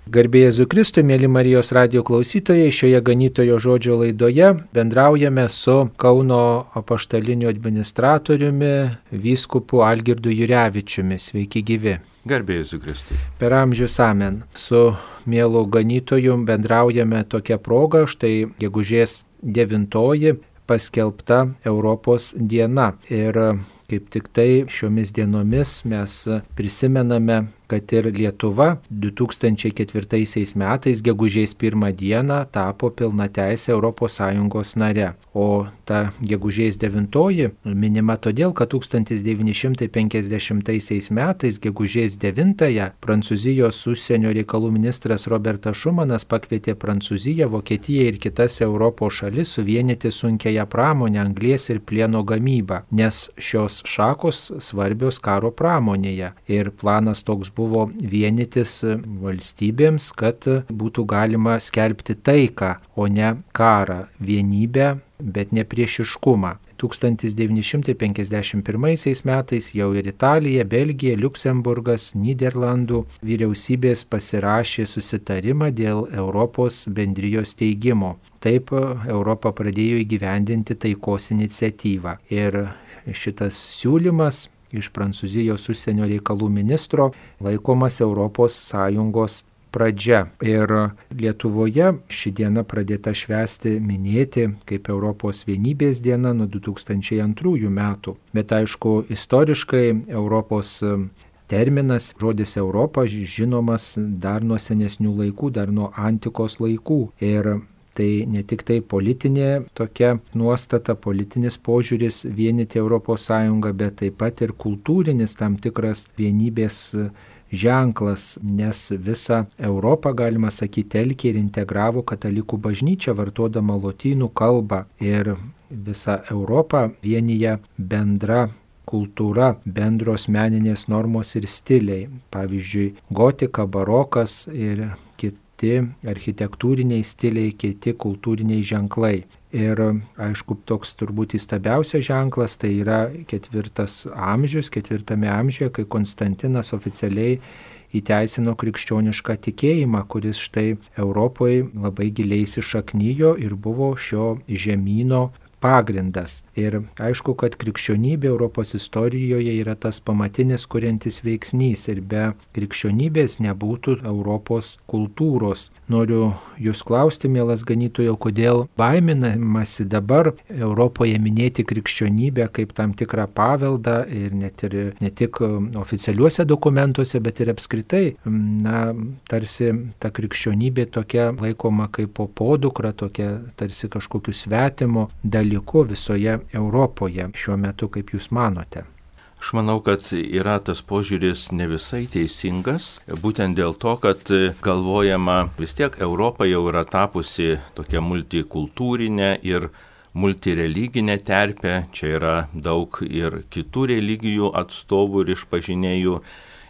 Garbė Jėzui Kristui, mėly Marijos radijo klausytojai, šioje ganytojo žodžio laidoje bendraujame su Kauno apaštaliniu administratoriumi, vyskupu Algirdu Jurevičiumi. Sveiki gyvi. Garbė Jėzui Kristui. Per amžius amen. Su mielu ganytoju bendraujame tokia proga, štai gegužės 9 paskelbta Europos diena. Ir kaip tik tai šiomis dienomis mes prisimename, kad ir Lietuva 2004 metais gegužės 1 dieną tapo pilnateisė ES nare. O ta gegužės 9 minima todėl, kad 1950 metais gegužės 9 Prancūzijos užsienio reikalų ministras Robertas Šumanas pakvietė Prancūziją, Vokietiją ir kitas Europos šalis suvienyti sunkiąją pramonę, anglies ir plieno gamybą, nes šios šakos svarbios karo pramonėje. Ir planas toks buvo vienytis valstybėms, kad būtų galima skelbti taiką, o ne karą, vienybę, bet ne priešiškumą. 1951 metais jau ir Italija, Belgija, Liuksemburgas, Nyderlandų vyriausybės pasirašė susitarimą dėl Europos bendrijos steigimo. Taip Europa pradėjo įgyvendinti taikos iniciatyvą. Ir šitas siūlymas iš Prancūzijos užsienio reikalų ministro laikomas ES pradžia. Ir Lietuvoje ši diena pradėta švęsti, minėti kaip Europos vienybės diena nuo 2002 metų. Bet aišku, istoriškai Europos terminas, žodis Europa, žinomas dar nuo senesnių laikų, dar nuo antikos laikų. Ir tai ne tik tai politinė tokia nuostata, politinis požiūris vienyti ES, bet taip pat ir kultūrinis tam tikras vienybės ženklas, nes visą Europą, galima sakyti, telkė ir integravo katalikų bažnyčia, vartodama lotynų kalbą. Ir visą Europą vienyje bendra kultūra, bendros meninės normos ir stiliai. Pavyzdžiui, gotika, barokas ir kiti architektūriniai stiliai, kiti kultūriniai ženklai. Ir aišku, toks turbūt įstabiausias ženklas tai yra 4 amžiuje, kai Konstantinas oficialiai įteisino krikščionišką tikėjimą, kuris štai Europoje labai giliai įsišaknijo ir buvo šio žemyno pagrindas. Ir aišku, kad krikščionybė Europos istorijoje yra tas pamatinis kuriantis veiksnys ir be krikščionybės nebūtų Europos kultūros. Noriu jūs klausti, mielas ganytojo, kodėl baiminamasi dabar Europoje minėti krikščionybę kaip tam tikrą paveldą ir ne tik oficialiuose dokumentuose, bet ir apskritai, tarsi ta krikščionybė tokia laikoma kaip podukra, tokia tarsi kažkokiu svetimu dalyku visoje Europoje šiuo metu, kaip jūs manote? Aš manau, kad yra tas požiūris ne visai teisingas, būtent dėl to, kad galvojama, vis tiek Europa jau yra tapusi tokia multikultūrinė ir multireliginė terpė, čia yra daug ir kitų religijų atstovų ir išpažinėjų.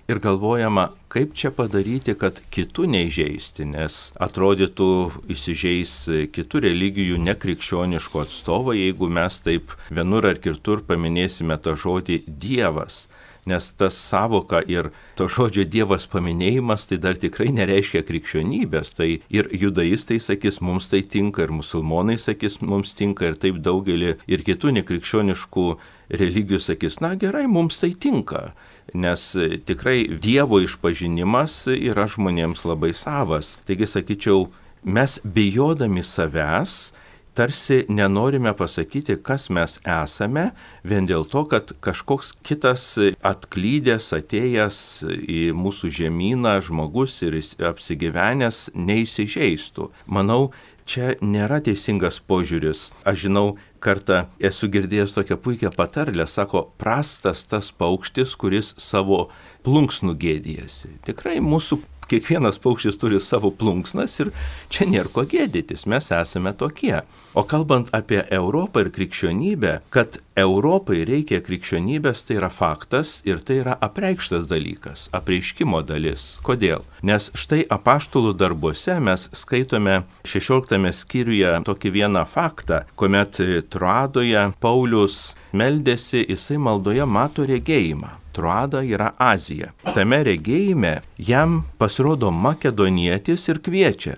Ir galvojama, kaip čia padaryti, kad kitų neįžeisti, nes atrodytų įsižeis kitų religijų nekrikščioniškų atstovai, jeigu mes taip vienur ar kitur paminėsime tą žodį Dievas. Nes tas savoka ir to žodžio Dievas paminėjimas tai dar tikrai nereiškia krikščionybės. Tai ir judaistai sakys, mums tai tinka, ir musulmonai sakys, mums tinka, ir taip daugelį ir kitų nekrikščioniškų religijų sakys, na gerai, mums tai tinka. Nes tikrai Dievo išpažinimas yra žmonėms labai savas. Taigi sakyčiau, mes bijodami savęs tarsi nenorime pasakyti, kas mes esame, vien dėl to, kad kažkoks kitas atklydęs, atėjęs į mūsų žemyną žmogus ir apsigyvenęs neįsižeistų. Manau, čia nėra teisingas požiūris. Aš žinau, kartą esu girdėjęs tokią puikią patarlę, sako, prastas tas paukštis, kuris savo plunksnų gėdijasi. Tikrai mūsų kiekvienas paukštis turi savo plunksnas ir čia nėra ko gėdytis, mes esame tokie. O kalbant apie Europą ir krikščionybę, kad Europai reikia krikščionybės, tai yra faktas ir tai yra apreikštas dalykas, apreiškimo dalis. Kodėl? Nes štai apaštalų darbuose mes skaitome 16 skyriuje tokį vieną faktą, kuomet Troadoje Paulius meldėsi, jisai maldoje mato regėjimą. Troada yra Azija. Tame regėjime jam pasirodo makedonietis ir kviečia.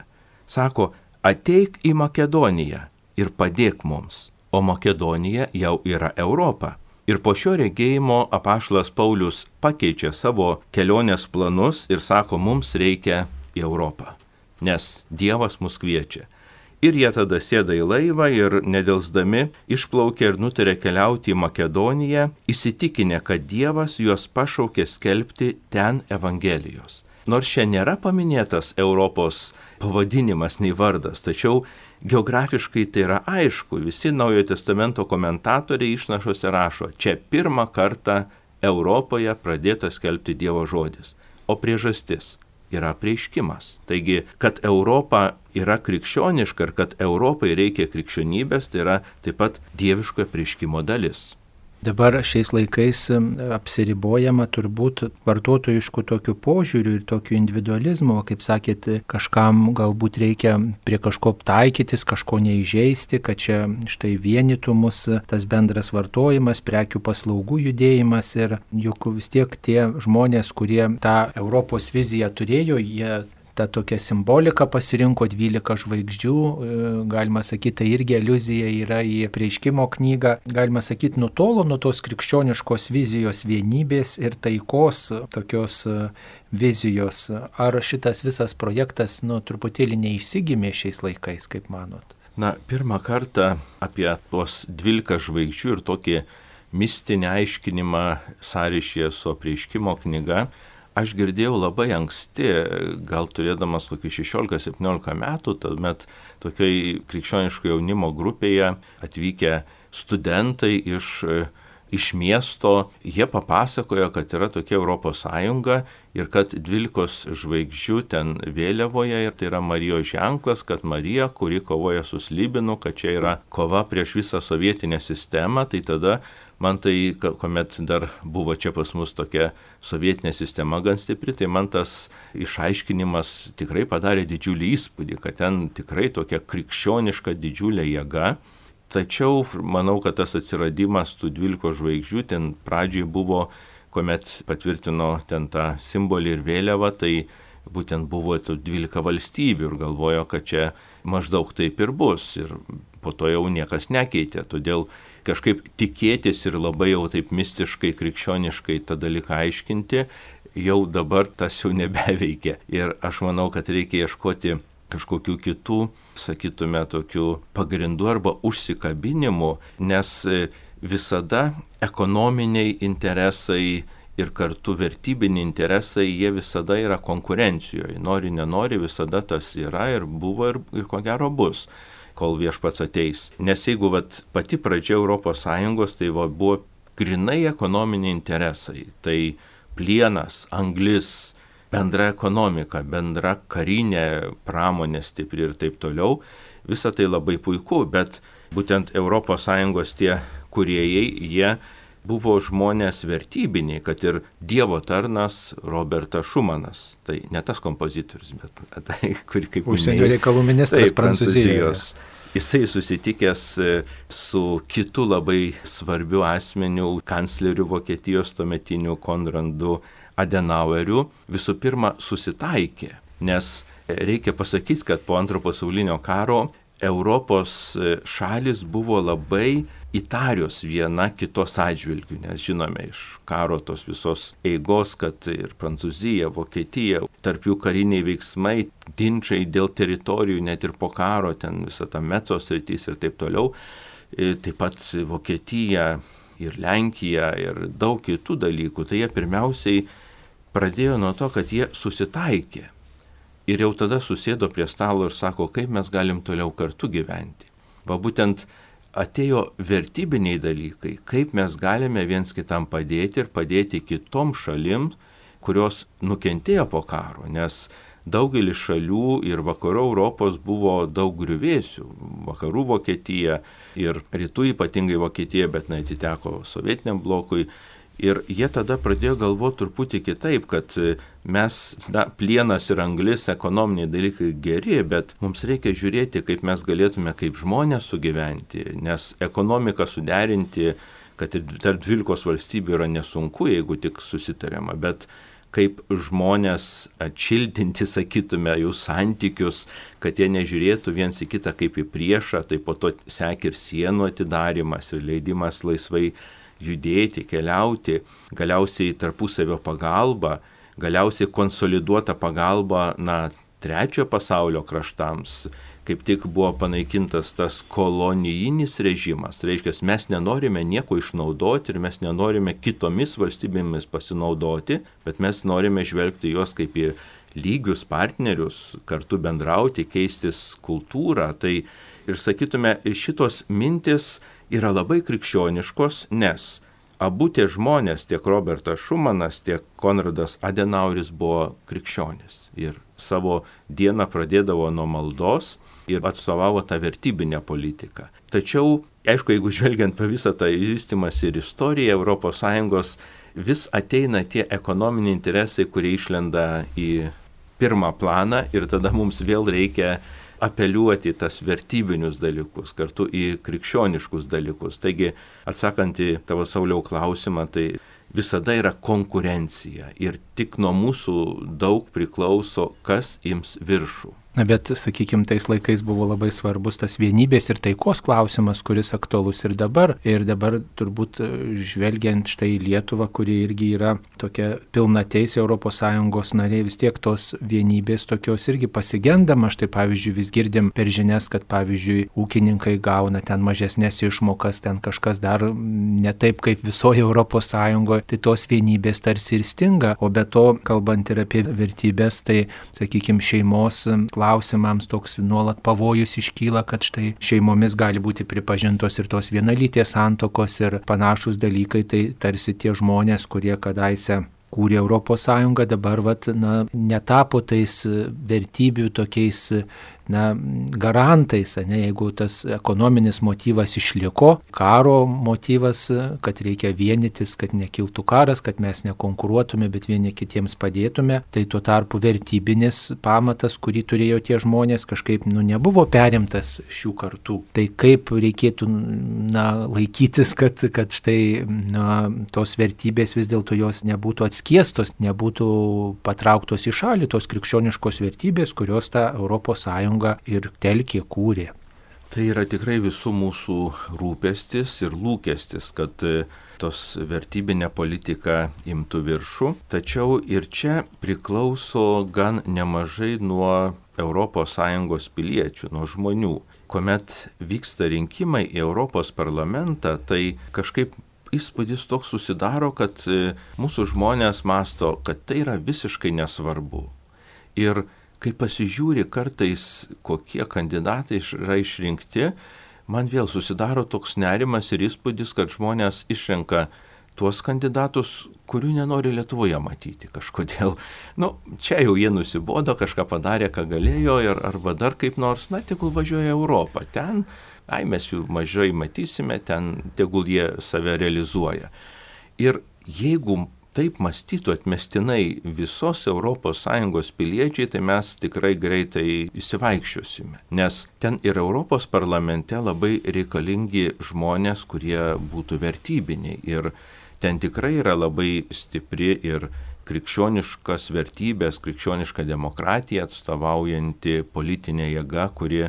Sako, ateik į Makedoniją ir padėk mums. O Makedonija jau yra Europa. Ir po šio regėjimo apaštalas Paulius pakeičia savo kelionės planus ir sako, mums reikia į Europą, nes Dievas mus kviečia. Ir jie tada sėda į laivą ir nedelsdami išplaukia ir nutarė keliauti į Makedoniją, įsitikinę, kad Dievas juos pašaukė skelbti ten Evangelijos. Nors čia nėra paminėtas Europos pavadinimas nei vardas, tačiau geografiškai tai yra aišku. Visi Naujojo testamento komentatoriai išnašose rašo, čia pirmą kartą Europoje pradėtas skelbti Dievo žodis. O priežastis yra apreiškimas. Taigi, kad Europa yra krikščioniška ir kad Europai reikia krikščionybės, tai yra taip pat dieviško apreiškimo dalis. Dabar šiais laikais apsiribojama turbūt vartotojiškų tokių požiūrių ir tokių individualizmų, kaip sakėt, kažkam galbūt reikia prie kažko taikytis, kažko neįžeisti, kad čia štai vienytų mus tas bendras vartojimas, prekių paslaugų judėjimas ir juk vis tiek tie žmonės, kurie tą Europos viziją turėjo, jie tą tokią simboliką pasirinko 12 žvaigždžių, galima sakyti, tai irgi aliuzija yra į apreiškimo knygą, galima sakyti, nutolo nuo tos krikščioniškos vizijos vienybės ir taikos tokios vizijos. Ar šitas visas projektas, truputėlį neišsigimė šiais laikais, kaip manot? Pirmą kartą apie tuos 12 žvaigždžių ir tokį mistinį aiškinimą sąryšyje su apreiškimo knyga aš girdėjau labai anksti, gal turėdamas kokį 16-17 metų, tuomet tokiai krikščioniško jaunimo grupėje atvykę studentai iš miesto, jie papasakojo, kad yra tokia Europos Sąjunga ir kad 12 žvaigždžių ten vėliavoje ir tai yra Marijos ženklas, kad Marija, kuri kovoja su slibinu, kad čia yra kova prieš visą sovietinę sistemą, tai tada man tai, kuomet dar buvo čia pas mus tokia sovietinė sistema gan stipri, tai man tas išaiškinimas tikrai padarė didžiulį įspūdį, kad ten tikrai tokia krikščioniška didžiulė jėga. Tačiau manau, kad tas atsiradimas tų 12 žvaigždžių ten pradžiai buvo, kuomet patvirtino ten tą simbolį ir vėliavą, tai būtent buvo 12 valstybių ir galvojo, kad čia maždaug taip ir bus. Ir po to jau niekas nekeitė, todėl kažkaip tikėtis ir labai jau taip mistiškai, krikščioniškai tą dalyką aiškinti, jau dabar tas jau nebeveikia. Ir aš manau, kad reikia ieškoti kažkokių kitų, sakytume, tokių pagrindų arba užsikabinimų, nes visada ekonominiai interesai ir kartu vertybiniai interesai, jie visada yra konkurencijoje. Nori, nenori, visada tas yra ir buvo ir ko gero bus, kol Viešpats ateis. Nes jeigu pati pradžia Europos Sąjungos, tai buvo grinai ekonominiai interesai. Tai plienas, anglis, bendra ekonomika, bendra karinė pramonė stipri ir taip toliau. Visa tai labai puiku, bet būtent Europos Sąjungos tie kūrėjai, jie buvo žmonės vertybiniai, kad ir Dievo tarnas Robertas Šumanas, tai ne tas kompozitorius, bet tai, kur kaip užsienio reikalų ministras Prancūzijos. Jisai susitikęs su kitu labai svarbiu asmeniu, kancleriu Vokietijos tuometiniu Konradu Adenaueriu, visų pirma susitaikė, nes reikia pasakyti, kad po Antro pasaulinio karo Europos šalis buvo labai įtarios viena kitos atžvilgių, nes žinome iš karo tos visos eigos, kad ir Prancūzija, Vokietija, tarp jų kariniai veiksmai, ginčai dėl teritorijų, net ir po karo, ten visa ta Mecos sritis ir taip toliau, taip pat Vokietija ir Lenkija ir daug kitų dalykų, tai jie pirmiausiai pradėjo nuo to, kad jie susitaikė. Ir jau tada susėdo prie stalo ir sako, kaip mes galim toliau kartu gyventi. Būtent atėjo vertybiniai dalykai, kaip mes galime viens kitam padėti ir padėti kitom šalim, kurios nukentėjo po karo, nes daugelis šalių ir vakarų Europos buvo daug griuvėsių. Vakarų Vokietija ir rytų ypatingai Vokietija, bet atiteko sovietiniam blokui. Ir jie tada pradėjo galvoti truputį kitaip, kad mes, plienas ir anglis, ekonominiai dalykai geri, bet mums reikia žiūrėti, kaip mes galėtume kaip žmonės sugyventi, nes ekonomiką suderinti kad ir tarp 12 valstybių yra nesunku, jeigu tik susitariama, bet kaip žmonės atšiltinti, sakytume, jų santykius, kad jie nežiūrėtų viens į kitą kaip į priešą, tai po to sekė ir sienų atidarimas ir leidimas laisvai judėti, keliauti, galiausiai tarpusavio pagalba, galiausiai konsoliduota pagalba, trečiojo pasaulio kraštams, kaip tik buvo panaikintas tas kolonijinis režimas. Tai reiškia, mes nenorime nieko išnaudoti ir mes nenorime kitomis valstybėmis pasinaudoti, bet mes norime žvelgti juos kaip į lygius partnerius, kartu bendrauti, keistis kultūrą. Tai ir sakytume, šitos mintis yra labai krikščioniškos, nes abu tie žmonės, tiek Robertas Šumanas, tiek Konradas Adenaueris buvo krikščionys ir savo dieną pradėdavo nuo maldos ir atstovavo tą vertybinę politiką. Tačiau, aišku, jeigu žvelgiant po visą tą vystymąsi ir istoriją ES, vis ateina tie ekonominiai interesai, kurie išlenda į pirmą planą ir tada mums vėl reikia apeliuoti tas vertybinius dalykus, kartu į krikščioniškus dalykus. Taigi, atsakant į tavo, Sauliau, klausimą, tai visada yra konkurencija ir tik nuo mūsų daug priklauso, kas ims viršų. Bet, sakykime, tais laikais buvo labai svarbus tas vienybės ir taikos klausimas, kuris aktualus ir dabar. Ir dabar turbūt žvelgiant štai į Lietuvą, kuri irgi yra tokia pilnateisė ES narė, vis tiek tos vienybės tokios irgi pasigendama. Štai pavyzdžiui, vis girdim per žinias, kad pavyzdžiui, ūkininkai gauna ten mažesnės išmokas, ten kažkas dar ne taip kaip visoje ES, tai tos vienybės tarsi ir stinga. O be to, kalbant ir apie vertybės, tai, sakykime, šeimos klausimams toks nuolat pavojus iškyla, kad štai šeimomis gali būti pripažintos ir tos vienalytės santuokos ir panašus dalykai, tai tarsi tie žmonės, kurie kadaise kūrė ES, dabar netapo tais vertybių tokiais garantais, jeigu tas ekonominis motyvas išliko, karo motyvas, kad reikia vienytis, kad nekiltų karas, kad mes nekonkuruotume, bet vieni kitiems padėtume, tai tuo tarpu vertybinis pamatas, kurį turėjo tie žmonės, kažkaip nebuvo perimtas šių kartų. Tai kaip reikėtų laikytis, kad štai tos vertybės vis dėlto jos nebūtų atskiestos, nebūtų patrauktos į šalį, tos krikščioniškos vertybės, kurios tą ES ir telkė, kūrė. Tai yra tikrai visų mūsų rūpestis ir lūkestis, kad tos vertybinė politika imtų viršų. Tačiau ir čia priklauso gan nemažai nuo ES piliečių, nuo žmonių. Kuomet vyksta rinkimai į Europos parlamentą, tai kažkaip įspūdis toks susidaro, kad mūsų žmonės masto, kad tai yra visiškai nesvarbu. Ir kai pasižiūri kartais, kokie kandidatai yra išrinkti, man vėl susidaro toks nerimas ir įspūdis, kad žmonės išrenka tuos kandidatus, kurių nenori Lietuvoje matyti kažkodėl. Čia jau jie nusibodo, kažką padarė, ką galėjo, arba dar kaip nors, tegul važiuoja Europą. Ten, mes jų mažai matysime, ten tegul jie save realizuoja. Ir jeigu taip mąstytų atmestinai visos ES piliečiai, tai mes tikrai greitai įsivaikščiosime. Nes ten ir Europos parlamente labai reikalingi žmonės, kurie būtų vertybiniai. Ir ten tikrai yra labai stipri ir krikščioniškas vertybės, krikščioniška demokratija atstovaujanti politinė jėga, kuri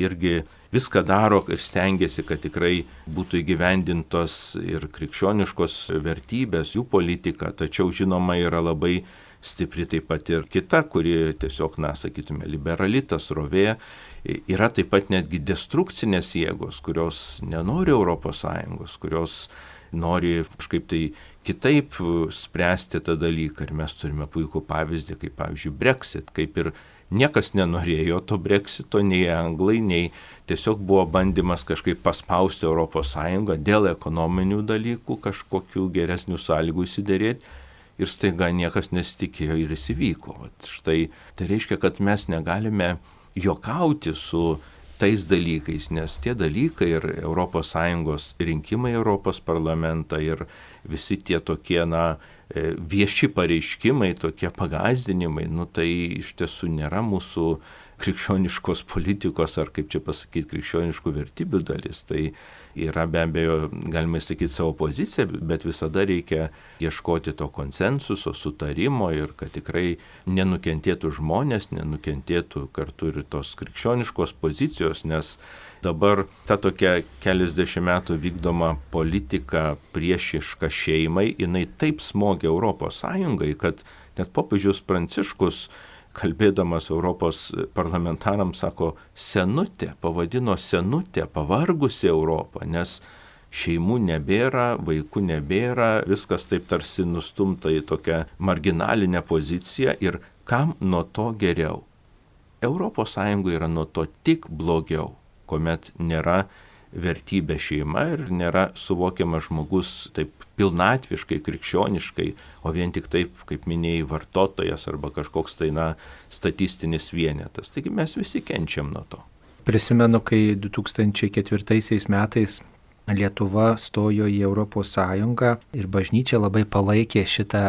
irgi viską daro ir stengiasi, kad tikrai būtų įgyvendintos ir krikščioniškos vertybės, jų politika, tačiau žinoma yra labai stipri taip pat ir kita, kuri tiesiog, sakytume, liberali, ta srovė. Yra taip pat netgi destrukcinės jėgos, kurios nenori ES, kurios nori kažkaip tai kitaip spręsti tą dalyką. Ir mes turime puikų pavyzdį, kaip pavyzdžiui Brexit, kaip ir niekas nenorėjo to Brexito, nei anglai, nei tiesiog buvo bandymas kažkaip paspausti ES dėl ekonominių dalykų, kažkokių geresnių sąlygų įsiderėti ir staiga niekas nesitikėjo ir įsivyko. Štai tai reiškia, kad mes negalime juokauti su tais dalykais, nes tie dalykai ir ES rinkimai Europos parlamentą ir visi tie tokie, vieši pareiškimai, tokie pagąsdinimai, tai iš tiesų nėra mūsų krikščioniškos politikos ar, kaip čia pasakyti, krikščioniškų vertybių dalis. Tai yra be abejo, galima sakyti, savo pozicija, bet visada reikia ieškoti to konsensuso, sutarimo ir kad tikrai nenukentėtų žmonės, nenukentėtų kartu ir tos krikščioniškos pozicijos, nes dabar ta tokia keliasdešimt metų vykdoma politika priešiška šeimai, jinai taip smogia Europos Sąjungai, kad net popiežius Pranciškus, kalbėdamas Europos parlamentarams, sako senutė, pavadino senutė, pavargusi Europą, nes šeimų nebėra, vaikų nebėra, viskas taip tarsi nustumta į tokią marginalinę poziciją ir kam nuo to geriau? Europos Sąjungoje yra nuo to tik blogiau, kuomet nėra vertybė šeima ir nėra suvokiamas žmogus taip pilnatviškai, krikščioniškai, o vien tik taip, kaip minėjai, vartotojas arba kažkoks statistinis vienetas. Taigi mes visi kenčiam nuo to. Prisimenu, kai 2004 metais Lietuva stojo į Europos Sąjungą ir bažnyčia labai palaikė šitą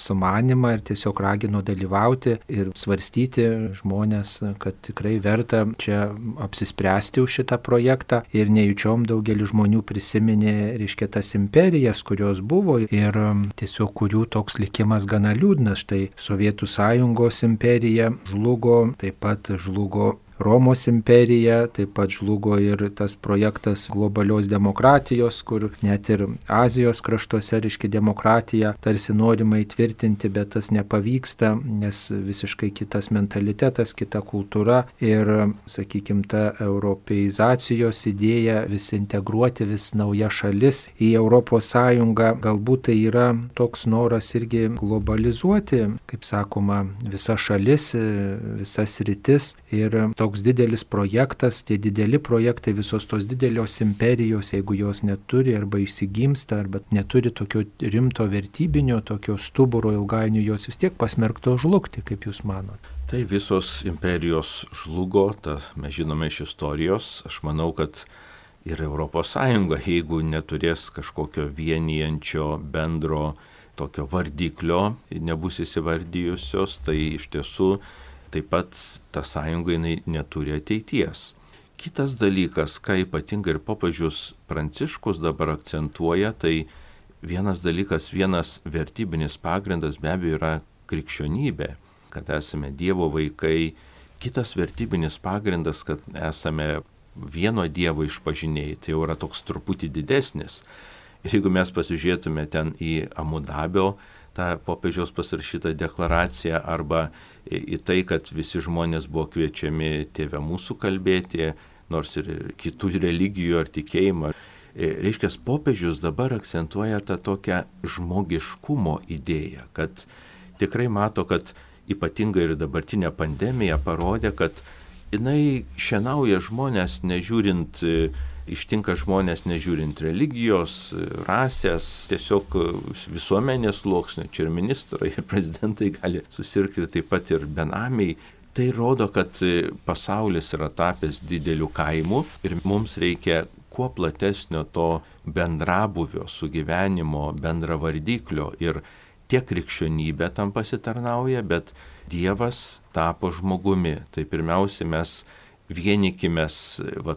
sumanimą ir tiesiog ragino dalyvauti ir svarstyti žmonės, kad tikrai verta čia apsispręsti už šitą projektą ir nejučiom daugelis žmonių prisiminė, reiškia, tas imperijas, kurios buvo ir tiesiog kurių toks likimas gana liūdnas. Štai Sovietų Sąjungos imperija žlugo, taip pat žlugo Romos imperija, taip pat žlugo ir tas projektas globalios demokratijos, kur net ir Azijos kraštuose, reiškia, demokratija tarsi norima įtvirtinti, bet tas nepavyksta, nes visiškai kitas mentalitetas, kita kultūra ir, sakykime, ta europeizacijos idėja vis integruoti vis nauja šalis į Europos Sąjungą, galbūt tai yra toks noras irgi globalizuoti, kaip sakoma, visas šalis, visas sritis ir toks didelis projektas, tie dideli projektai, visos tos didelios imperijos, jeigu jos neturi arba išsigimsta, arba neturi tokio rimto vertybinio, tokio stuburo ilgainiui, jos vis tiek pasmerkto žlugti, kaip jūs manote? Tai visos imperijos žlugo, mes žinome iš istorijos. Aš manau, kad ir Europos Sąjunga, jeigu neturės kažkokio vienijančio bendro tokio vardiklio, nebus įsivardijusios, tai iš tiesų taip pat ta sąjunga jinai neturi ateities. Kitas dalykas, ką ypatingai ir popiežius Pranciškus dabar akcentuoja, tai vienas dalykas, vienas vertybinis pagrindas be abejo yra krikščionybė, kad esame Dievo vaikai. Kitas vertybinis pagrindas, kad esame vieno Dievo išpažinėjai, tai jau yra toks truputį didesnis. Ir jeigu mes pasižiūrėtume ten į Abu Dabio tą popiežiaus pasirašytą deklaraciją arba į tai, kad visi žmonės buvo kviečiami Tėve mūsų kalbėti, nors ir kitų religijų ar tikėjimą. Reiškia, popiežius dabar akcentuoja tą tokią žmogiškumo idėją, kad tikrai mato, kad ypatingai ir dabartinė pandemija parodė, kad jinai šienauja žmonės nežiūrint, ištinka žmonės nežiūrint religijos, rasės, tiesiog visuomenės sluoksnio, čia ir ministrai, ir prezidentai gali susirgti, taip pat ir benamiai. Tai rodo, kad pasaulis yra tapęs dideliu kaimu ir mums reikia kuo platesnio to bendrabuvio, sugyvenimo, bendravardiklio ir tiek krikščionybė tam pasitarnauja, bet Dievas tapo žmogumi. Tai pirmiausia, mes vienykimės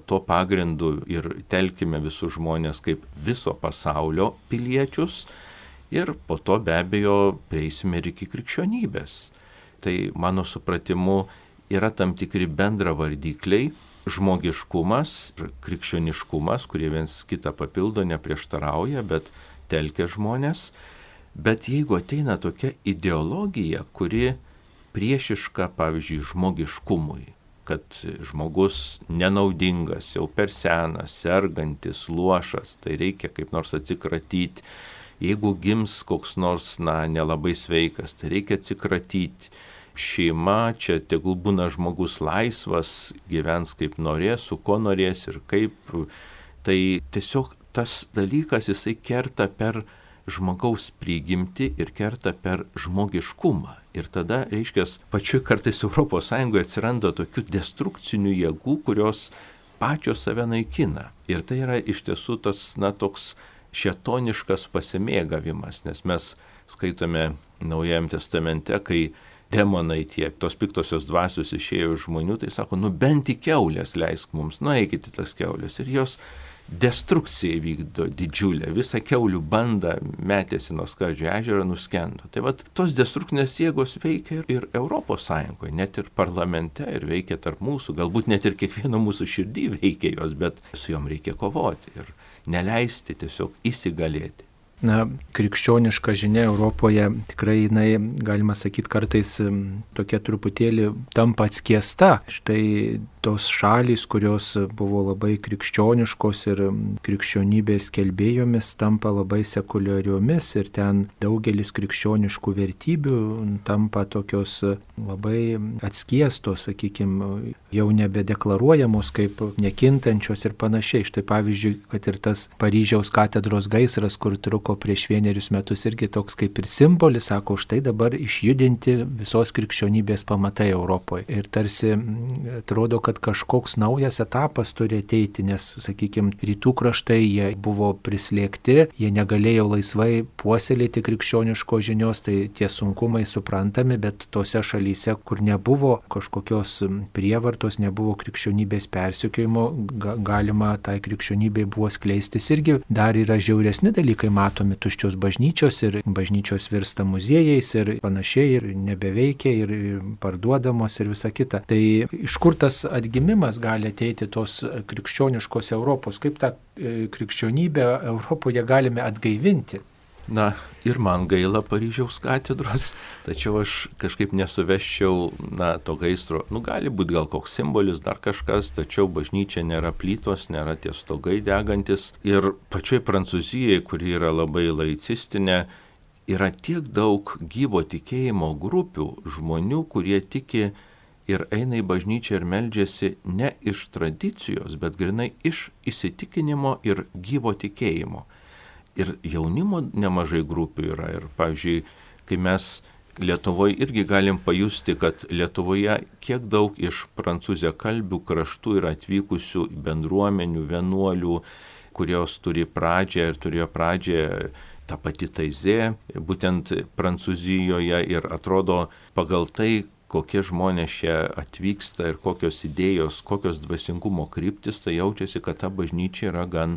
to pagrindu ir telkime visus žmonės kaip viso pasaulio piliečius ir po to be abejo prieisime ir iki krikščionybės. Tai mano supratimu yra tam tikri bendravardikliai, žmogiškumas ir krikščioniškumas, kurie viens kitą papildo, neprieštarauja, bet telkia žmonės. Bet jeigu ateina tokia ideologija, kuri priešiška, pavyzdžiui, žmogiškumui, kad žmogus nenaudingas, jau per senas, sergantis, luošas, tai reikia kaip nors atsikratyti. Jeigu gims koks nors, nelabai sveikas, tai reikia atsikratyti. Šeima, čia tegul būna žmogus laisvas, gyvens kaip norės, su ko norės ir kaip. Tai tiesiog tas dalykas, jisai kerta per žmogaus prigimtį ir kerta per žmogiškumą. Ir tada, reiškia, pačioj kartais Europos Sąjungoje atsiranda tokių destrukcinių jėgų, kurios pačios save naikina. Ir tai yra iš tiesų tas, toks šėtoniškas pasimėgavimas, nes mes skaitome Naujajam testamente, kai demonai tos piktosios dvasios išėjo iš žmonių, tai sako, bent į kiaulės leisk mums, eikite tas kiaulės. Ir jos destrukciją vykdo didžiulę, visą kiaulių bandą metėsi nuo Skardžio ežero, nuskendo. Tai vat tos destrukcinės jėgos veikia ir Europos Sąjungoje, net ir parlamente, ir veikia tarp mūsų, galbūt net ir kiekvieno mūsų širdį veikia jos, bet su jom reikia kovoti ir neleisti tiesiog įsigalėti. Na, krikščioniška žinia Europoje tikrai, galima sakyti, kartais tokia truputėlį tampa atskiesta. Štai tos šalys, kurios buvo labai krikščioniškos ir krikščionybės skelbėjomis, tampa labai sekuliariomis ir ten daugelis krikščioniškų vertybių tampa tokios labai atskiestos, sakykime, jau nebedeklaruojamos kaip nekintančios ir panašiai. Štai pavyzdžiui, kad ir tas Paryžiaus katedros gaisras, kur truko prieš 1 metus, irgi toks kaip ir simbolis, sako, štai dabar išjudinti visos krikščionybės pamatai Europoje. Ir tarsi atrodo, kad kažkoks naujas etapas turi ateiti, nes, sakykime, rytų kraštai jie buvo prislėgti, jie negalėjo laisvai puoselėti krikščioniškos žinios, tai tie sunkumai suprantami, bet tose šalyse, kur nebuvo kažkokios prievartos, nebuvo krikščionybės persekiojimo, galima tai krikščionybei buvo skleistis irgi. Dar yra žiauresni dalykai matomi, tuščios bažnyčios ir bažnyčios virsta muziejais ir panašiai ir nebeveikia ir parduodamos ir visa kita. Tai iš kur tas atgimimas gali ateiti tos krikščioniškos Europos? Kaip tą krikščionybę Europoje galime atgaivinti? Na, ir man gaila Paryžiaus katedros, tačiau aš kažkaip nesuvesčiau, to gaisro. Gali būti gal koks simbolis, dar kažkas, tačiau bažnyčia nėra plytos, nėra tie stogai degantis. Ir pačioj Prancūzijai, kuri yra labai laicistinė, yra tiek daug gyvo tikėjimo grupių, žmonių, kurie tiki ir eina į bažnyčią ir meldžiasi ne iš tradicijos, bet grinai iš įsitikinimo ir gyvo tikėjimo. Ir jaunimo nemažai grupių yra. Ir, pavyzdžiui, kai mes Lietuvoje irgi galim pajusti, kad Lietuvoje kiek daug iš prancūziakalbių kraštų yra atvykusių bendruomenių, vienuolių, kurios turi pradžią ir turėjo pradžią ta pati Taizė, būtent Prancūzijoje, ir atrodo pagal tai, kokie žmonės čia atvyksta ir kokios idėjos, kokios dvasingumo kryptis, tai jaučiasi, kad ta bažnyčia yra gan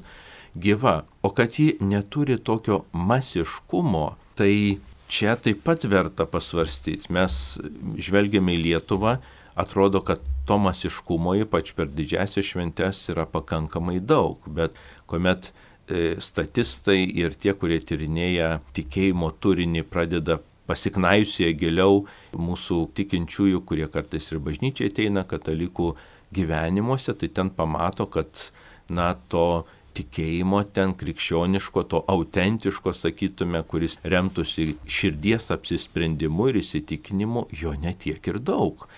gyva. O kad ji neturi tokio masiškumo, tai čia taip pat verta pasvarstyti. Mes žvelgiame į Lietuvą, atrodo, kad to masiškumo, ypač per didžiąsias šventes, yra pakankamai daug, bet kuomet statistai ir tie, kurie tyrinėja tikėjimo turinį, pradeda pasiknaisioje giliau mūsų tikinčiųjų, kurie kartais ir bažnyčiai ateina, katalikų gyvenimuose, tai ten pamato, kad to tikėjimo ten krikščioniško, to autentiško, sakytume, kuris remtųsi širdies apsisprendimu ir įsitikinimu, jo netiek ir daug.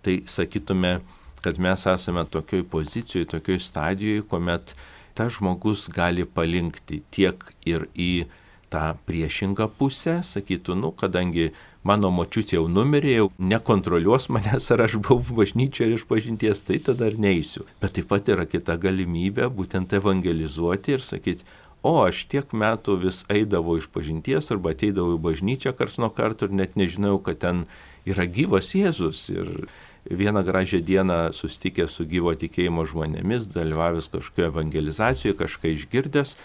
Tai sakytume, kad mes esame tokioj pozicijoje, tokioj stadijoje, kuomet tas žmogus gali palinkti tiek ir į tą priešingą pusę, sakytų, kadangi mano močiutė jau numirė, jau nekontroliuos manęs, ar aš buvau bažnyčioje ir išpažinties, tai tada ir neisiu. Bet taip pat yra kita galimybė būtent evangelizuoti ir sakyti, aš tiek metų vis eidavau išpažinties arba ateidavau į bažnyčią karts nuo karto ir net nežinau, kad ten yra gyvas Jėzus. Ir vieną gražią dieną susitikęs su gyvo tikėjimo žmonėmis, dalyvavęs kažkokioje evangelizacijoje, kažką išgirdęs,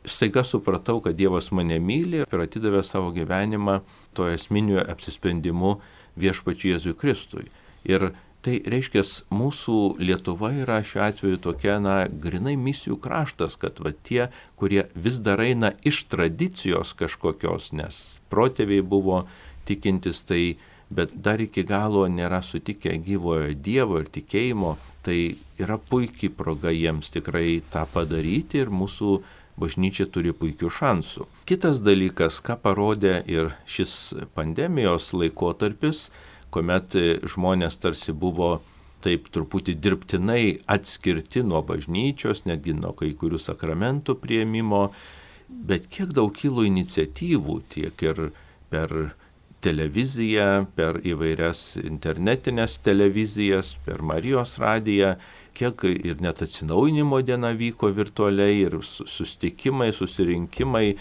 staiga supratau, kad Dievas mane myli ir atidavė savo gyvenimą to esminiu apsisprendimu viešpačiui Jėzui Kristui. Ir tai reiškia, mūsų Lietuva yra šiuo atveju tokia, grinai misijų kraštas, kad tie, kurie vis dar eina iš tradicijos kažkokios, nes protėviai buvo tikintis, bet dar iki galo nėra sutikę gyvojo Dievo ir tikėjimo, tai yra puikiai proga jiems tikrai tą padaryti ir mūsų bažnyčia turi puikių šansų. Kitas dalykas, ką parodė ir šis pandemijos laikotarpis, kuomet žmonės tarsi buvo taip truputį dirbtinai atskirti nuo bažnyčios, netgi nuo kai kurių sakramentų priėmimo, bet kiek daug kilo iniciatyvų tiek ir per televiziją, per įvairias internetinės televizijas, per Marijos radiją, kiek ir net atsinaujinimo diena vyko virtualiai ir susitikimai, susirinkimai.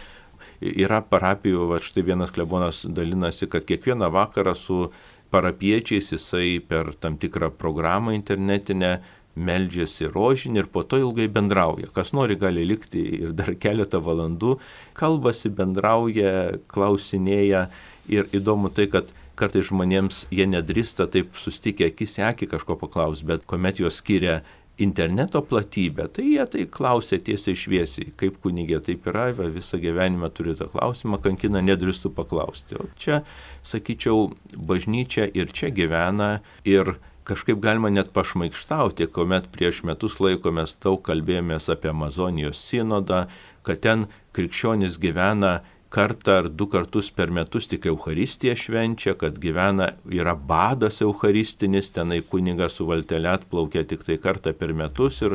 Yra parapijų, štai vienas klebonas dalinasi, kad kiekvieną vakarą su parapiečiais jisai per tam tikrą programą internetinę meldžiasi rožinį ir po to ilgai bendrauja. Kas nori, gali likti ir dar keletą valandų, kalbasi, bendrauja, klausinėja. Ir įdomu tai, kad kartais žmonėms jie nedrįsta taip susitikę akis į akį kažko paklaus, bet kuomet juos skiria interneto platybę, tai jie tai klausia tiesiai šviesiai, kaip kunigė taip yra, visą gyvenimą turi tą klausimą, kankina, nedrįstų paklausti. O čia, sakyčiau, bažnyčia ir čia gyvena ir kažkaip galima net pašmaikštauti, kuomet prieš metus laiko mes daug kalbėjomės apie Amazonijos sinodą, kad ten krikščionys gyvena kartą ar 2 kartus per metus tik Eucharistiją švenčia, kad yra badas eucharistinis, tenai kunigas su valtele atplaukia tik tai kartą per metus ir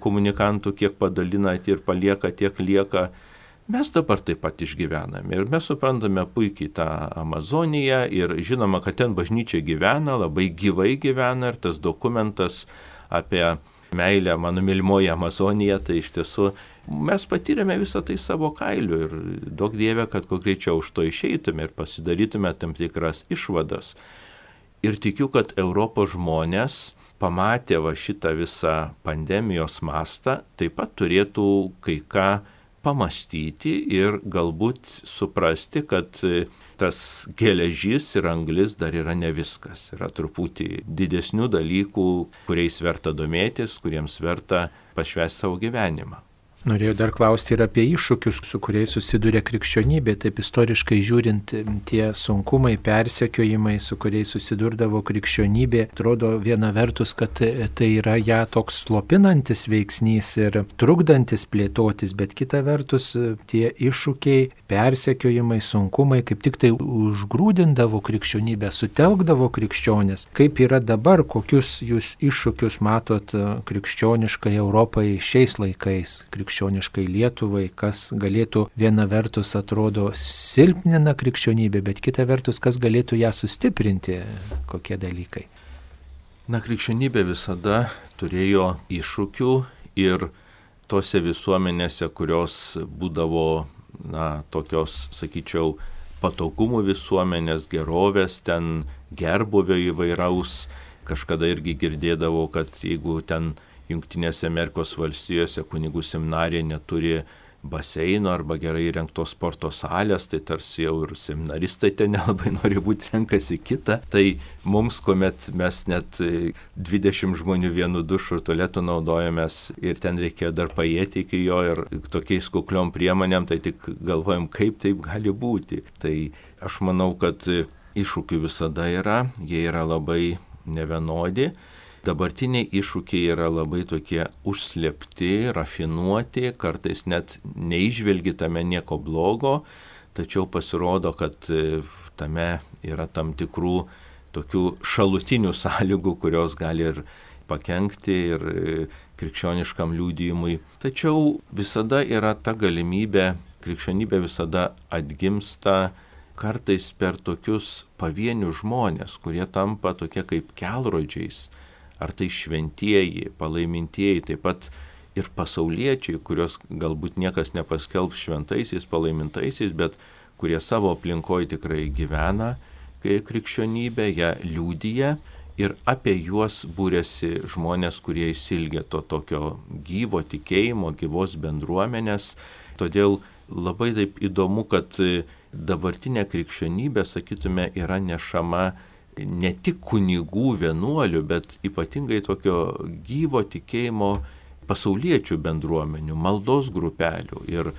komunikantų kiek padalina ir palieka, tiek lieka. Mes dabar taip pat išgyvename ir mes suprantame puikiai tą Amazoniją ir žinoma, kad ten bažnyčia gyvena, labai gyvai gyvena ir tas dokumentas apie meilę, mano mylimoji Amazonija, tai iš tiesų mes patyrėme visą tai savo kailiu ir daug Dieve, kad kuo greičiau už to išeitume ir pasidarytume tam tikras išvadas. Ir tikiu, kad Europos žmonės pamatė šitą visą pandemijos mastą, taip pat turėtų kai ką pamastyti ir galbūt suprasti, kad tas geležis ir anglis dar yra ne viskas. Yra truputį didesnių dalykų, kuriais verta domėtis, kuriems verta pašvęsti savo gyvenimą. Norėjau dar klausti ir apie iššūkius, su kuriais susiduria krikščionybė. Taip istoriškai žiūrint, tie sunkumai, persekiojimai, su kuriais susidurdavo krikščionybė, atrodo viena vertus, kad tai yra ją toks slopinantis veiksnys ir trukdantis plėtotis, bet kita vertus tie iššūkiai, persekiojimai, sunkumai kaip tik tai užgrūdindavo krikščionybę, sutelkdavo krikščionės. Kaip yra dabar, kokius jūs iššūkius matot krikščioniškai Europai šiais laikais? Krikščioniškai Lietuvai, kas galėtų viena vertus atrodo silpnina krikščionybę, bet kita vertus, kas galėtų ją sustiprinti, kokie dalykai? Krikščionybė visada turėjo iššūkių ir tose visuomenėse, kurios būdavo, tokios, sakyčiau, patogumų visuomenės, gerovės, ten gerbuvio įvairaus, kažkada irgi girdėdavo, kad jeigu ten Jungtinėse Amerikos valstijose kunigų seminarija neturi baseino arba gerai įrengtos sporto salės, tai tarsi jau ir seminaristai ten nelabai nori būti, renkasi kitą. Tai mums, kuomet mes net 20 žmonių vienu dušu ir tualetu naudojamės ir ten reikėjo dar paėti iki jo ir tokiais kukliom priemonėm, tai tik galvojam, kaip taip gali būti. Tai aš manau, kad iššūkių visada yra, jie yra labai nevienodi. Dabartiniai iššūkiai yra labai tokie užslėpti, rafinuoti, kartais net neižvelgi tame nieko blogo, tačiau pasirodo, kad tame yra tam tikrų tokių šalutinių sąlygų, kurios gali ir pakenkti ir krikščioniškam liudijimui. Tačiau visada yra ta galimybė, krikščionybė visada atgimsta kartais per tokius pavienius žmonės, kurie tampa tokie kaip kelrodžiais. Ar tai šventieji, palaimintieji, taip pat ir pasauliečiai, kurios galbūt niekas nepaskelbs šventaisiais, palaimintaisiais, bet kurie savo aplinkoje tikrai gyvena, kai krikščionybė ją liudija ir apie juos būrėsi žmonės, kurie išsilgia to tokio gyvo tikėjimo, gyvos bendruomenės. Todėl labai taip įdomu, kad dabartinė krikščionybė, sakytume, yra nešama ne tik kunigų, vienuolių, bet ypatingai tokio gyvo tikėjimo pasauliečių bendruomenių, maldos grupelių. Ir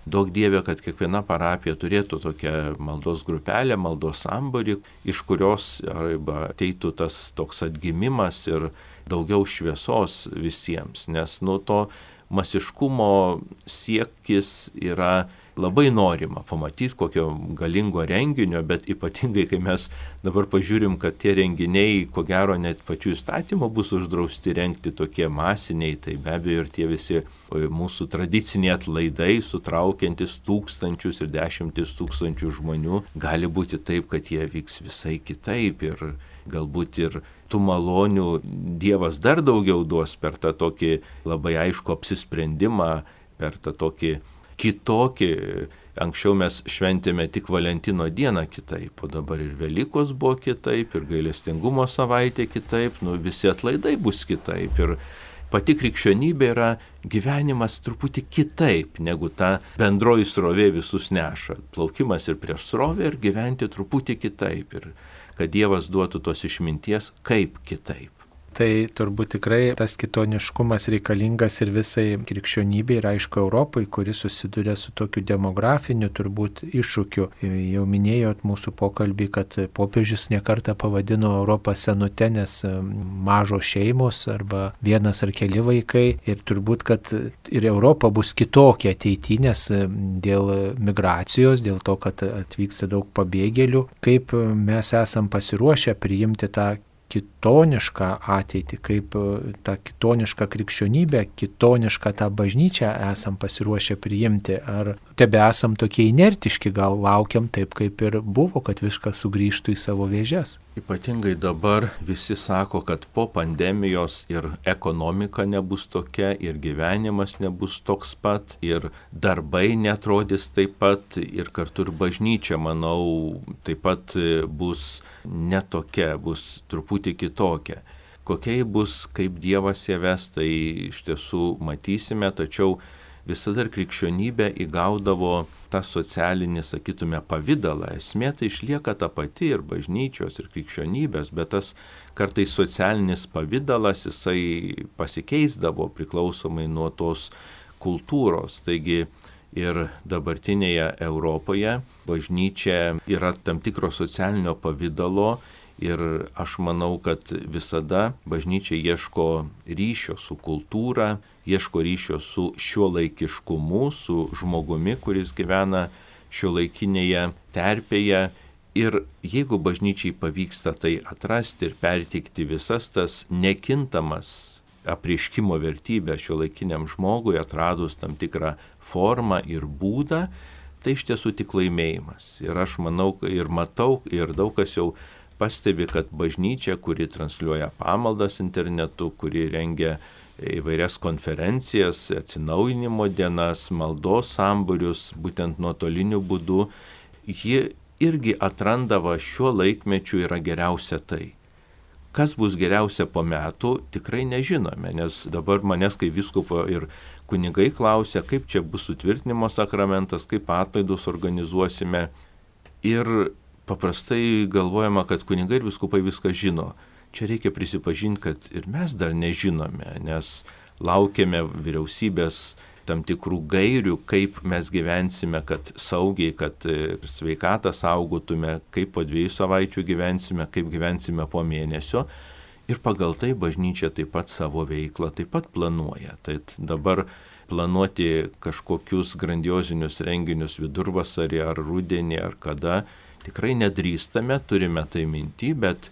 daug Dieve, kad kiekviena parapija turėtų tokią maldos grupelę, maldos sambūrį, iš kurios arba ateitų tas toks atgimimas ir daugiau šviesos visiems. Nes to masiškumo siekis yra labai norima pamatyti kokio galingo renginio, bet ypatingai, kai mes dabar pažiūrim, kad tie renginiai, ko gero, net pačių įstatymų bus uždrausti rengti tokie masiniai, tai be abejo ir tie visi mūsų tradiciniai atlaidai, sutraukiantis tūkstančius ir 10 000 žmonių, gali būti taip, kad jie vyks visai kitaip ir galbūt ir tų malonių Dievas dar daugiau duos per tą tokį labai aišku apsisprendimą, per tą tokį kitokį Anksčiau mes šventėme tik Valentino dieną kitaip, o dabar ir Velykos buvo kitaip, ir gailestingumo savaitė kitaip, visi atlaidai bus kitaip. Ir pati krikščionybė yra gyvenimas truputį kitaip, negu ta bendroji srovė visus neša. Plaukimas ir prieš srovę ir gyventi truputį kitaip. Ir kad Dievas duotų tos išminties, kaip kitaip. Tai turbūt tikrai tas kitoniškumas reikalingas ir visai krikščionybei ir aišku Europai, kuri susiduria su tokiu demografiniu turbūt iššūkiu. Jau minėjot mūsų pokalbį, kad popiežius nekartą pavadino Europą senute, nes mažos šeimos arba vienas ar keli vaikai ir turbūt, kad ir Europa bus kitokia ateityje, nes dėl migracijos, dėl to, kad atvyksta daug pabėgėlių, kaip mes esam pasiruošę priimti tą kitonišką ateitį, kaip tą kitonišką krikščionybę, kitonišką tą bažnyčią esam pasiruošę priimti. Ar tebe esam tokie inertiški, gal laukiam taip, kaip ir buvo, kad viskas sugrįžtų į savo vėžes? Ypatingai dabar visi sako, kad po pandemijos ir ekonomika nebus tokia, ir gyvenimas nebus toks pat, ir darbai netrodys taip pat, ir kartu ir bažnyčia, manau, taip pat bus netokia, bus truputį kitokia. Kokia bus, kaip Dievas ją ves, tai iš tiesų matysime, tačiau visada ir krikščionybė įgaudavo tą socialinį, sakytume, pavydalą. Esmė tai išlieka ta pati ir bažnyčios, ir krikščionybės, bet tas kartais socialinis pavydalas, jisai pasikeisdavo priklausomai nuo tos kultūros. Taigi ir dabartinėje Europoje bažnyčia yra tam tikro socialinio pavydalo ir aš manau, kad visada bažnyčia ieško ryšio su kultūra, ieško ryšio su šiuolaikiškumu, su žmogumi, kuris gyvena šiuolaikinėje terpėje. Ir jeigu bažnyčiai pavyksta tai atrasti ir perteikti visas tas nekintamas apreiškimo vertybės šiuolaikiniam žmogui, atradus tam tikrą formą ir būdą, tai iš tiesų tik laimėjimas. Ir aš manau ir matau, ir daug kas jau pastebi, kad bažnyčia, kuri transliuoja pamaldas internetu, kuri rengia įvairias konferencijas, atsinaujinimo dienas, maldos sambūrius, būtent nuotoliniu būdu, ji irgi atrandava šiuo laikmečiu yra geriausia tai. Kas bus geriausia po metų, tikrai nežinome, nes dabar manęs kaip vyskupo ir kunigai klausia, kaip čia bus sutvirtinimo sakramentas, kaip atlaidus organizuosime. Ir paprastai galvojama, kad kunigai ir vyskupai viską žino. Čia reikia prisipažinti, kad ir mes dar nežinome, nes laukiame vyriausybės tam tikrų gairių, kaip mes gyvensime, kad saugiai, kad sveikatą saugotume, kaip po 2 savaičių gyvensime, kaip gyvensime po mėnesio. Ir pagal tai bažnyčia taip pat savo veiklą taip pat planuoja. Tai dabar planuoti kažkokius grandiozinius renginius vidurvasarį ar rudenį ar kada tikrai nedrįstame, turime tai minty, bet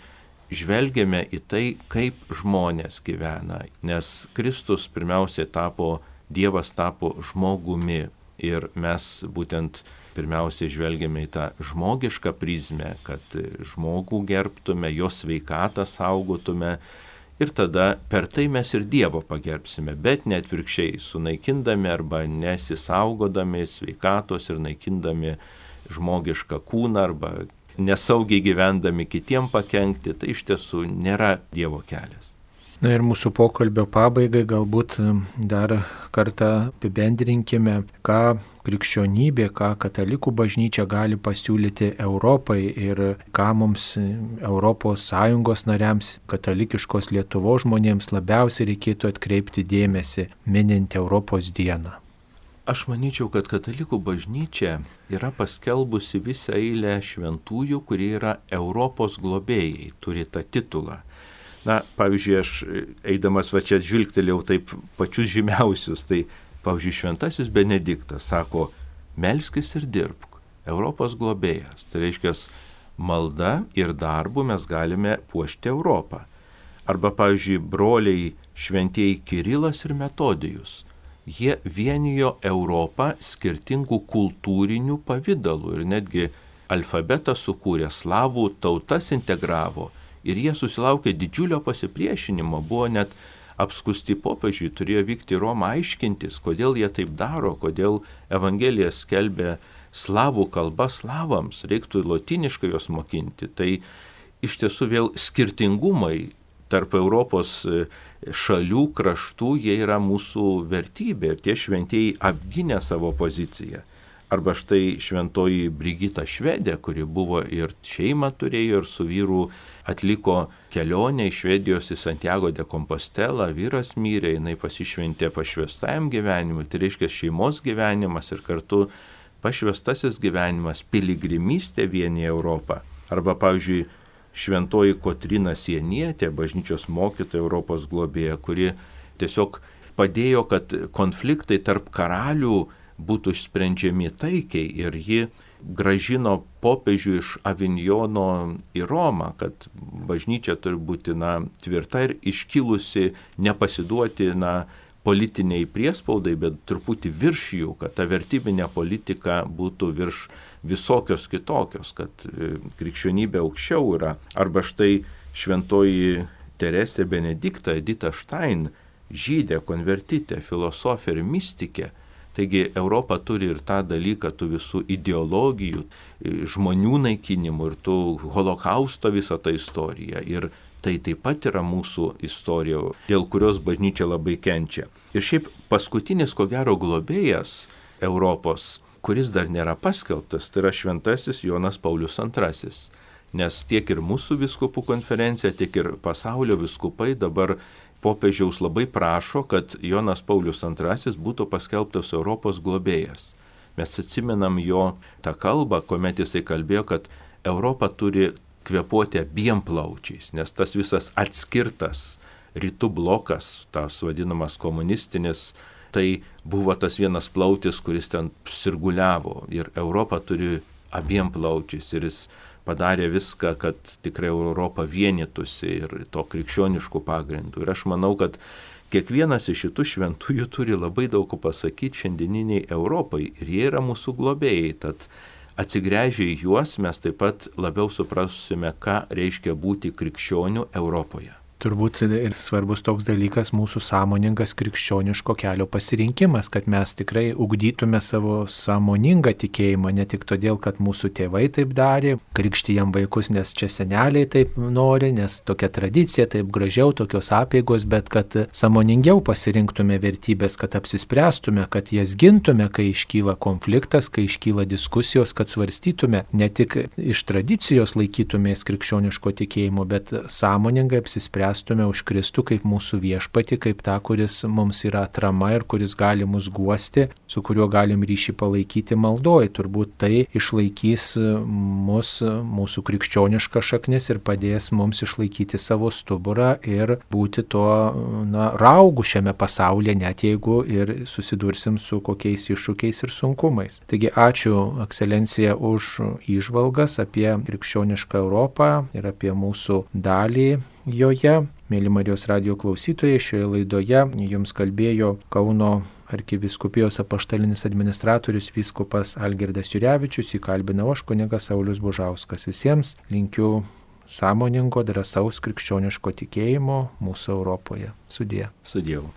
žvelgiame į tai, kaip žmonės gyvena. Nes Kristus pirmiausiai Dievas tapo žmogumi ir mes būtent pirmiausiai žvelgiame į tą žmogišką prizmę, kad žmogų gerbtume, jo sveikatą saugotume ir tada per tai mes ir Dievo pagerbsime, bet ne atvirkščiai, sunaikindami arba nesisaugodami sveikatos ir naikindami žmogišką kūną arba nesaugiai gyvendami kitiem pakenkti, tai iš tiesų nėra Dievo kelias. Na ir mūsų pokalbio pabaigai galbūt dar kartą apibendrinkime, ką krikščionybė, ką katalikų bažnyčia gali pasiūlyti Europai ir ką mums ES nariams, katalikiškos Lietuvos žmonėms labiausiai reikėtų atkreipti dėmesį, minint Europos dieną. Aš manyčiau, kad katalikų bažnyčia yra paskelbusi visą eilę šventųjų, kurie yra Europos globėjai, turi tą titulą. Na, pavyzdžiui, aš eidamas va čia žvilgtelėjau taip pačius žymiausius, tai pavyzdžiui, šventasis Benediktas sako, melskis ir dirbk, Europos globėjas. Tai reiškia, malda ir darbu mes galime puošti Europą. Arba, pavyzdžiui, broliai šventieji Kirilas ir Metodijus. Jie vienijo Europą skirtingų kultūrinių pavydalų ir netgi alfabetą sukūrė, slavų tautas integravo. Ir jie susilaukė didžiulio pasipriešinimo, buvo net apskusti popiežiui, turėjo vykti į Romą aiškintis, kodėl jie taip daro, kodėl Evangeliją skelbia slavų kalba slavams, reiktų lotyniškai jos mokinti. Tai iš tiesų vėl skirtingumai tarp Europos šalių, kraštų, jie yra mūsų vertybė ir tie šventieji apginė savo poziciją. Arba štai šventoji Brigita Švedė, kuri buvo ir šeimą turėjo ir su vyru atliko kelionę iš Švedijos į Santiago de Compostelą, vyras mirė, jinai pasišventė pašvestajam gyvenimui, tai reiškia šeimos gyvenimas ir kartu pašvestasis gyvenimas, piligrimystė vienyje Europą. Arba, pavyzdžiui, šventoji Kotryna Sienietė, bažnyčios mokytoja, Europos globėja, kuri tiesiog padėjo, kad konfliktai tarp karalių būtų sprendžiami taikiai ir ji gražino popiežių iš Avinjono į Romą, kad bažnyčia turi būti tvirta ir iškilusi, nepasiduoti politiniai priespaudai, bet truputį virš jų, kad ta vertybinė politika būtų virš visokios kitokios, kad krikščionybė aukščiau yra. Arba štai šventoji Teresė Benedikta Edita Štain, žydė, konvertitė, filosofė ir mystikė. Taigi Europa turi ir tą dalyką, tų visų ideologijų, žmonių naikinimų ir tų holokausto visą tą istoriją. Ir tai taip pat yra mūsų istorija, dėl kurios bažnyčia labai kenčia. Ir šiaip paskutinis, ko gero, globėjas Europos, kuris dar nėra paskelbtas, tai yra šventasis Jonas Paulius II. Nes tiek ir mūsų vyskupų konferencija, tiek ir pasaulio vyskupai dabar popiežiaus labai prašo, kad Jonas Paulius II būtų paskelbtas Europos globėjas. Mes atsimenam jo tą kalbą, kuomet jisai kalbėjo, kad Europa turi kvėpuoti abiem plaučiais, nes tas visas atskirtas rytų blokas, tas vadinamas komunistinis, tai buvo tas vienas plautis, kuris ten sirguliavo ir Europa turi abiem plaučiais ir jis padarė viską, kad tikrai Europa vienytųsi ir to krikščioniškų pagrindų. Ir aš manau, kad kiekvienas iš šitų šventųjų turi labai daug pasakyti šiandieniniai Europai ir jie yra mūsų globėjai. Tad atsigręžę į juos mes taip pat labiau suprasime, ką reiškia būti krikščioniu Europoje. Turbūt ir svarbus toks dalykas mūsų sąmoningas krikščioniško kelio pasirinkimas, kad mes tikrai ugdytume savo sąmoningą tikėjimą, ne tik todėl, kad mūsų tėvai taip darė, krikštijam vaikus, nes čia seneliai taip nori, nes tokia tradicija, taip gražiau, tokios apeigos, bet kad sąmoningiau pasirinktume vertybės, kad apsispręstume, kad jas gintume, kai iškyla konfliktas, kai iškyla diskusijos, kad svarstytume, ne tik iš tradicijos laikytumės krikščioniško tikėjimo, bet sąmoningai apsispręstume už Kristų kaip mūsų viešpatį, kaip tą, kuris mums yra atrama ir kuris gali mus guosti, su kuriuo galim ryšį palaikyti maldoj. Turbūt tai išlaikys mūsų krikščionišką šaknis ir padės mums išlaikyti savo stuburą ir būti to raugu šiame pasaulyje, net jeigu ir susidursim su kokiais iššūkiais ir sunkumais. Taigi ačiū, ekscelencija, už įžvalgas apie krikščionišką Europą ir apie mūsų dalį joje. Mėly Marijos radijo klausytojai, šioje laidoje jums kalbėjo Kauno arkivyskupijos apaštalinis administratorius vyskupas Algirdas Jurevičius, įkalbinau aš kunigas Saulius Bužauskas. Visiems linkiu sąmoningo, drąsaus krikščioniško tikėjimo mūsų Europoje. Sudie. Su Dievu.